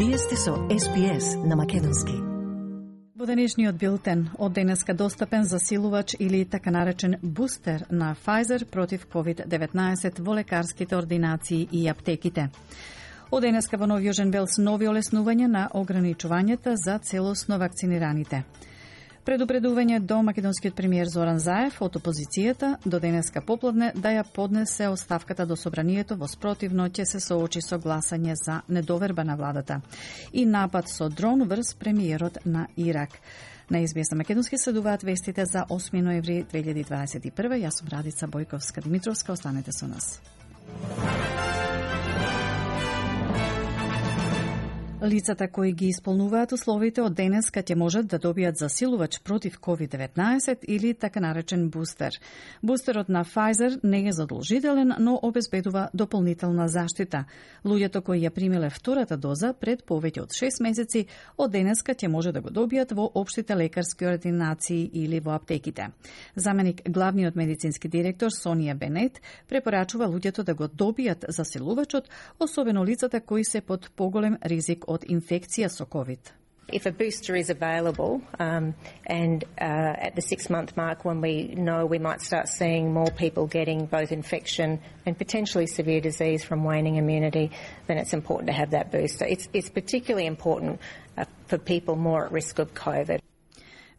Вие сте со SPS на македонски. Во денешниот билтен, од денеска достапен засилувач или така наречен бустер на Pfizer против COVID-19 во лекарските ординации и аптеките. Од денеска во Нов Јужен Велс нови олеснувања на ограничувањата за целосно вакцинираните. Предупредување до македонскиот премиер Зоран Заев од опозицијата до денеска попладне да ја поднесе оставката до собранието, во спротивно ќе се соочи со гласање за недоверба на владата. И напад со дрон врз премиерот на Ирак. На SBS македонски следуваат вестите за 8 ноември 2021. Јас сум Радица Бојковска-Димитровска, останете со нас. Лицата кои ги исполнуваат условите од денеска ќе можат да добијат засилувач против COVID-19 или така наречен бустер. Бустерот на Pfizer не е задолжителен, но обезбедува дополнителна заштита. Луѓето кои ја примиле втората доза пред повеќе од 6 месеци од денеска ќе може да го добијат во општите лекарски ординации или во аптеките. Заменик главниот медицински директор Сонија Бенет препорачува луѓето да го добијат засилувачот, особено лицата кои се под поголем ризик од инфекција со COVID. If a booster is available and at the 6-month mark when we know we might start seeing more people getting both infection and potentially severe disease from waning immunity, then it's important to have that booster. It's particularly important for people more at risk of COVID.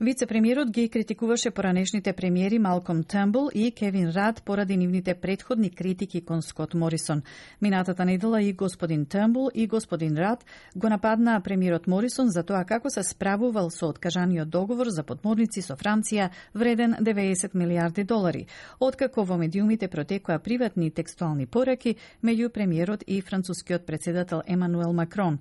Вице-премиерот ги критикуваше поранешните премиери Малком Търнбул и Кевин Рад поради нивните претходни критики кон Скот Морисон. Минатата недела и господин Търнбул и господин Рад го нападнаа премиерот Морисон за тоа како се справувал со откажаниот договор за подморници со Франција вреден 90 милиарди долари, откако во медиумите протекоа приватни текстуални пораки меѓу премиерот и францускиот председател Емануел Макрон.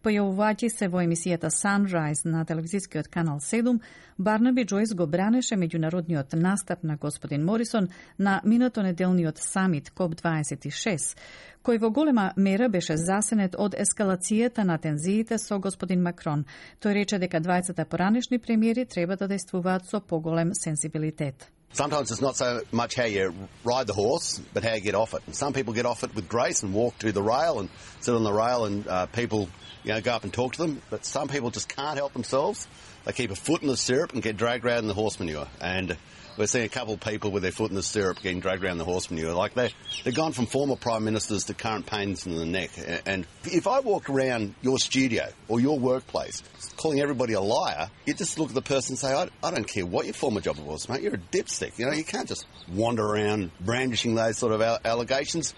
Појавувајќи се во емисијата Sunrise на телевизискиот канал 7, Барнаби Джойс го бранеше меѓународниот настап на господин Морисон на минатонеделниот самит COP26, кој во голема мера беше засенет од ескалацијата на тензиите со господин Макрон. Тој рече дека двајцата поранешни премиери треба да действуваат со поголем сензибилитет. Sometimes it's not so much how you ride the horse, but how you get off it. And some people get off it with grace and walk to the rail and sit on the rail and people go up and talk to them. But some people just can't help themselves. They keep a foot in the stirrup and get dragged around in the horse manure. And we're seeing a couple of people with their foot in the stirrup getting dragged around the horse manure. Like they've gone from former prime ministers to current pains in the neck. And if I walked around your studio or your workplace calling everybody a liar, you just look at the person and say, I don't care what your former job was, mate. You're a dipstick. You know, you can't just wander around brandishing those sort of allegations.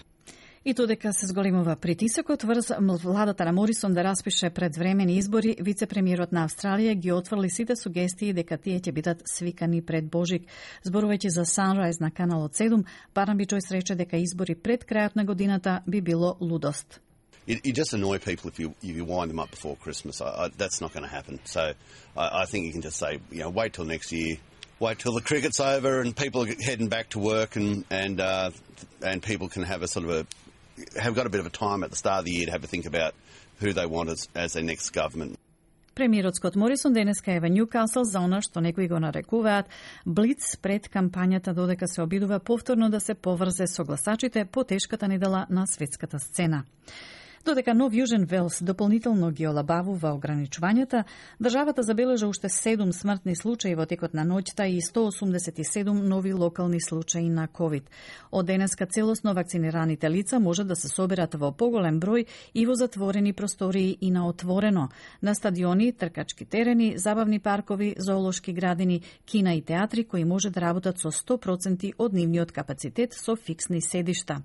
И додека се зголемува притисокот врз владата на Морисон да распише предвремени избори, вице-премиерот на Австралија ги отфрли сите сугестии дека тие ќе бидат свикани пред Божик. Зборувајќи за Sunrise на каналот 7, Барнаби Джойс рече дека избори пред крајот на годината би било лудост. You just annoy people if you wind them up before Christmas. That's not going to happen. So I think you can just say, wait till next year. Wait till the cricket's over and people are heading back to work and people can have have got a bit of a time at the start of the year to have a think about who they want as their next government. Премиерот Скот Морисон денеска е во Нјукасл за она што некои го нарекуваат блиц пред кампањата, додека се обидува повторно да се поврзе со гласачите по тешката недела на светската сцена. Додека Нов Јужен Велс дополнително ги олабавува ограничувањата, државата забележа уште 7 смртни случаи во текот на ноќта и 187 нови локални случаи на COVID. Од денеска целосно вакцинираните лица може да се соберат во поголем број и во затворени простории и на отворено, на стадиони, тркачки терени, забавни паркови, зоолошки градини, кина и театри кои може да работат со 100% од нивниот капацитет со фиксни седишта.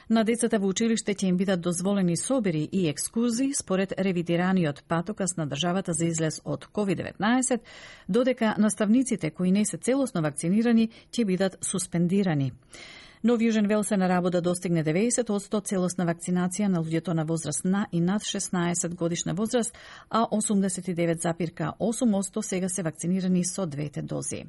На децата во училиште ќе им бидат дозволени собери и екскурзии според ревидираниот патокас на државата за излез од COVID-19, додека наставниците кои не се целосно вакцинирани ќе бидат суспендирани. Нов Јужен Велс е на работа достигне 90% целосна вакцинација на луѓето на возраст на и над 16 годишна возраст, а 89,8% сега се вакцинирани со двете дози.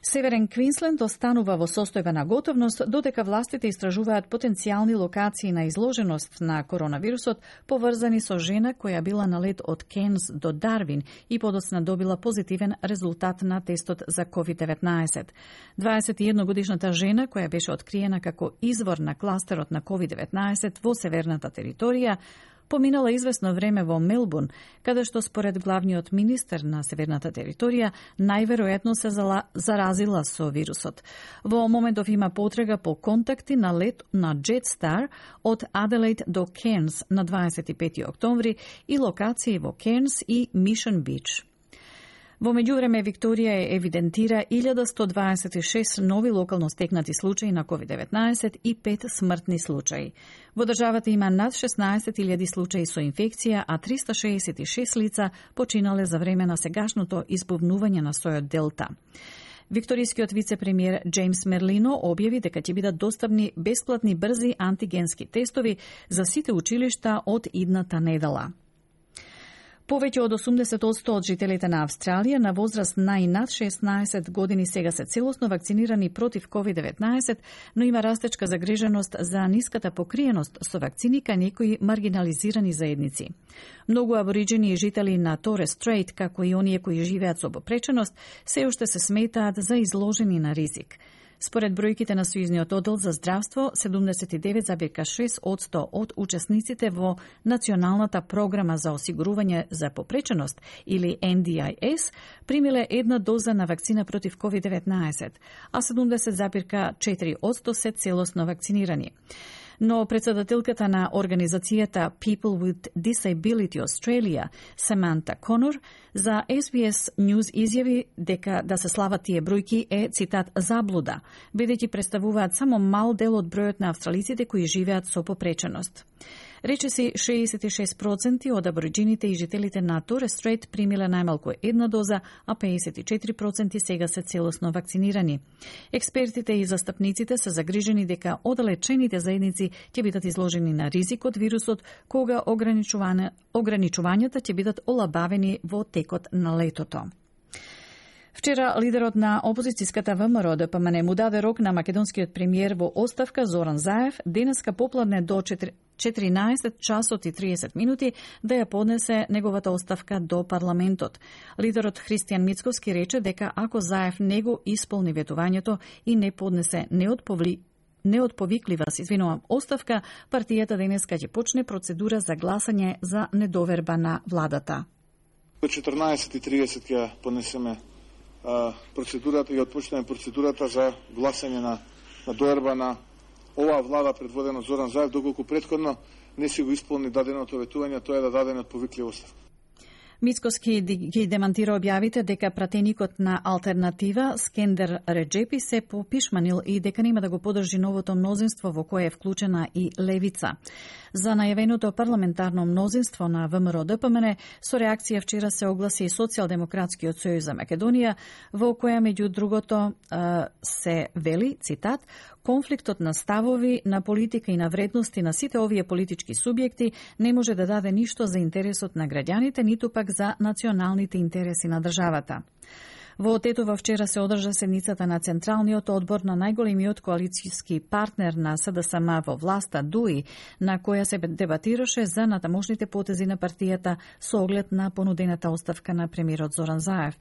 Северен Квинсленд останува во состојба на готовност, додека властите истражуваат потенцијални локации на изложеност на коронавирусот, поврзани со жена која била на лет од Кенс до Дарвин и подоцна добила позитивен резултат на тестот за COVID-19. 21-годишната жена, која беше откриена како извор на кластерот на COVID-19 во северната територија, поминала известно време во Мелбурн, каде што според главниот министер на северната територија најверојатно се заразила со вирусот. Во моментов има потрега по контакти на лет на Jetstar од Аделаид до Кернс на 25 октомври и локации во Кернс и Мишн Бич. Во меѓувреме, Викторија евидентира 1126 нови локално стекнати случаи на COVID-19 и 5 смртни случаи. Во државата има над 16.000 случаи со инфекција, а 366 лица починале за време на сегашното избувнување на сојот Делта. Викторискиот вице-премиер Джеймс Мерлино објави дека ќе бидат достапни бесплатни брзи антигенски тестови за сите училишта од идната недела. Повеќе од 80% од жителите на Австралија на возраст на и над 16 години сега се целосно вакцинирани против COVID-19, но има растечка загриженост за ниската покриеност со вакцини кај некои маргинализирани заедници. Многу абориџени и жители на Торес Стрейт, како и оние кои живеат со попреченост, се уште се сметаат за изложени на ризик. Според бројките на Сојузниот оддел за здравство, 79,6% од учесниците во Националната програма за осигурување за попреченост или NDIS примиле една доза на вакцина против COVID-19, а 70,4% се целосно вакцинирани. Но председателката на организацијата People with Disability Australia, Саманта Конор, за SBS News изјави дека да се слават тие бројки е, цитат, заблуда, бидејќи представуваат само мал дел од бројот на австралиците кои живеат со попреченост. Речиси 66% од абориџините и жителите на Торес Стрейт примиле најмалку една доза, а 54% сега се целосно вакцинирани. Експертите и застапниците се загрижени дека оддалечените заедници ќе бидат изложени на ризик од вирусот, кога ограничувањата ќе бидат олабавени во текот на летото. Вчера лидерот на опозицијската ВМРО ДПМН му даде рок на македонскиот премиер во оставка Зоран Заев денеска попладне до 14 часот и 30 минути да ја поднесе неговата оставка до парламентот. Лидерот Христијан Мицковски рече дека ако Заев не го исполни ветувањето и не поднесе неотповиклива оставка, партијата денеска ќе почне процедура за гласање за недоверба на владата. До 14:30 ќе поднесеме процедурата и отпочнеме процедурата за гласање на доверба на оваа влада предводена од Зоран Заев, доколку претходно не си го исполни даденото ветување, тоа е да даде неотповиклива оставка. Мицковски ги демантира објавите дека пратеникот на Алтернатива Скендер Реджепи се попишманил и дека нема да го подржи новото мнозинство во кое е вклучена и Левица. За најавеното парламентарно мнозинство на ВМРО ДПМН со реакција вчера се огласи и Социјалдемократскиот сојуз за Македонија, во која меѓу другото се вели, цитат, конфликтот на ставови, на политика и на вредности на сите овие политички субјекти не може да даде ништо за интересот на граѓаните, ниту пак за националните интереси на државата. Во Тетово вчера се одржа седницата на Централниот одбор на најголемиот коалицијски партнер на СДСМ во власта ДУИ, на која се дебатираше за натамошните потези на партијата со оглед на понудената оставка на премиерот Зоран Заев.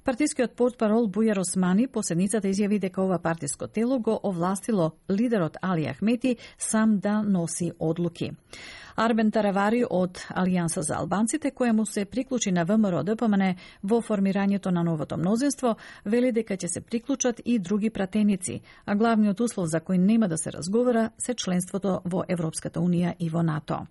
Партискиот портпарол Бујар Османи по седницата изјави дека ова партиско тело го овластило лидерот Али Ахмети сам да носи одлуки. Арбен Таравари од Алијанса за албанците, која му се приклучи на ВМРО ДПМН во формирањето на новото мнозинство, вели дека ќе се приклучат и други пратеници, а главниот услов за кој нема да се разговара се членството во Европската унија и во НАТО.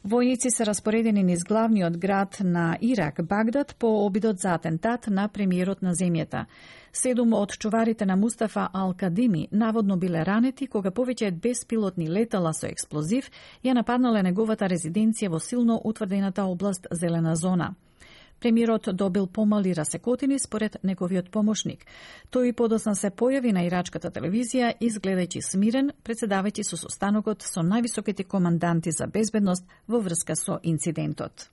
Војници се распоредени низ главниот град на Ирак, Багдад, по обидот за атентат на премиерот на земјата. 7 од чуварите на Мустафа Ал-Кадими наводно биле ранети кога повеќе од беспилотни летала со експлозив ја нападнале неговата резиденција во силно утврдената област Зелена зона. Премиерот добил помали расекотини според неговиот помошник. Тој подосна се појави на ирачката телевизија, изгледајќи смирен, председавајќи со состанокот со највисоките команданти за безбедност во врска со инцидентот.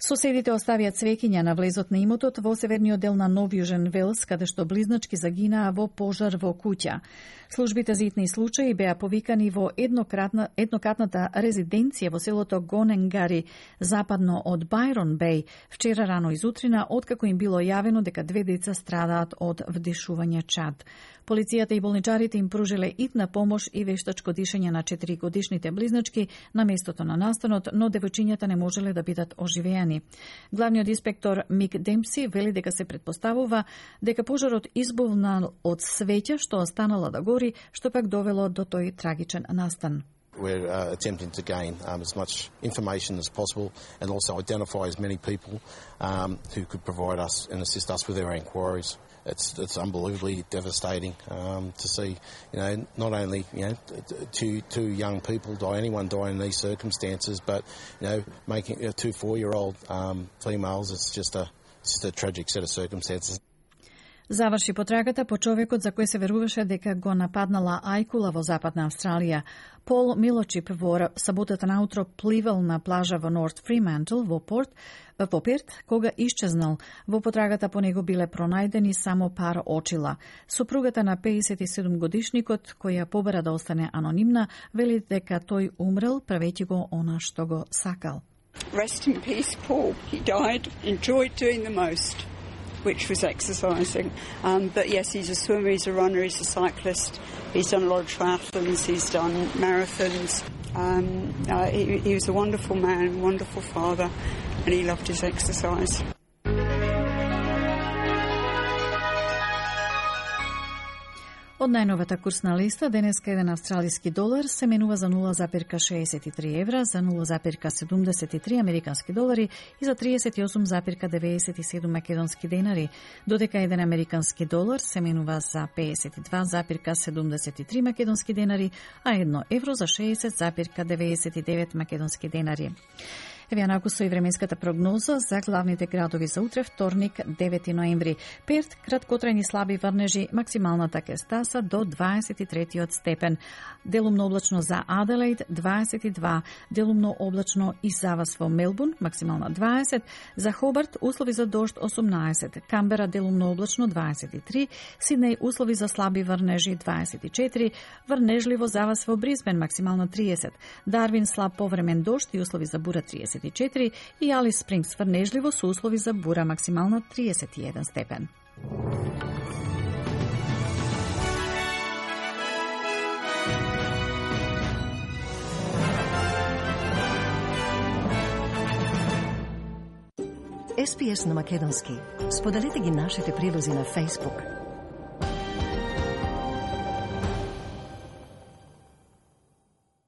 Соседите оставија цвеќиња на влезот на имотот во северниот дел на Нов Јужен Велс, каде што близначки загинаа во пожар во куќа. Службите за итни случаи беа повикани во еднократната резиденција во селото Гоненгари, западно од Байрон Беј, вчера рано изутрина, откако им било јавено дека 2 деца страдаат од вдишување чад. Полицијата и болничарите им пружиле итна помош и вештачко дишење на 4-годишните близначки на местото на настанот, но девојчињата не можеле да бидат оживеани. Главниот инспектор Мик Демпси вели дека се претпоставува дека пожарот избувнал од свеќа што останала да гори, што пак довело до тој трагичен настан. We're attempting to gain as much information as possible and also identify as many people who could provide us and assist us with our inquiries. It's unbelievably devastating to see, not only two young people die, anyone die in these circumstances, but making 2 4-year-old females, it's just a tragic set of circumstances. Заврши потрагата по човекот за кој се веруваше дека го нападнала ајкула во Западна Австралија. Пол Милочип во саботата наутро пливал на плажа во Норт Фримантл во Перт, кога исчезнал. Во потрагата по него биле пронајдени само пар очила. Супругата на 57-годишникот, која побара да остане анонимна, вели дека тој умрел правејќи го она што го сакал. Rest in peace, Paul. He died, enjoyed doing the most, which was exercising. But yes, he's a swimmer, he's a runner, he's a cyclist. He's done a lot of triathlons, he's done marathons. He was a wonderful man, wonderful father, and he loved his exercise. Од најновата курсна листа, денеска еден австралиски долар се менува за 0,63 евра, за 0,73 американски долари и за 38,97 македонски денари, додека еден американски долар се менува за 52,73 македонски денари, а 1 евро за 60,99 македонски денари. Еве на со и временската прогноза за главните градови за утре, вторник, 9 ноември. Перт, краткотрајни слаби врнежи, максималната ќе стаса до 23 степен. Делумно облачно за Аделаид, 22, делумно облачно и завас во Мелбурн, максимална 20, за Хобарт, услови за дожд 18, Камбера, делумно облачно 23, Сиднеј, услови за слаби врнежи 24, врнежливо завас во Брисбен, максимална 30, Дарвин, слаб повремен дожд и услови за бура 34 и Алис Спрингс врнежливо со услови за бура, максимална 31 степен. SPS на македонски. Споделете ги нашите прилози на Facebook,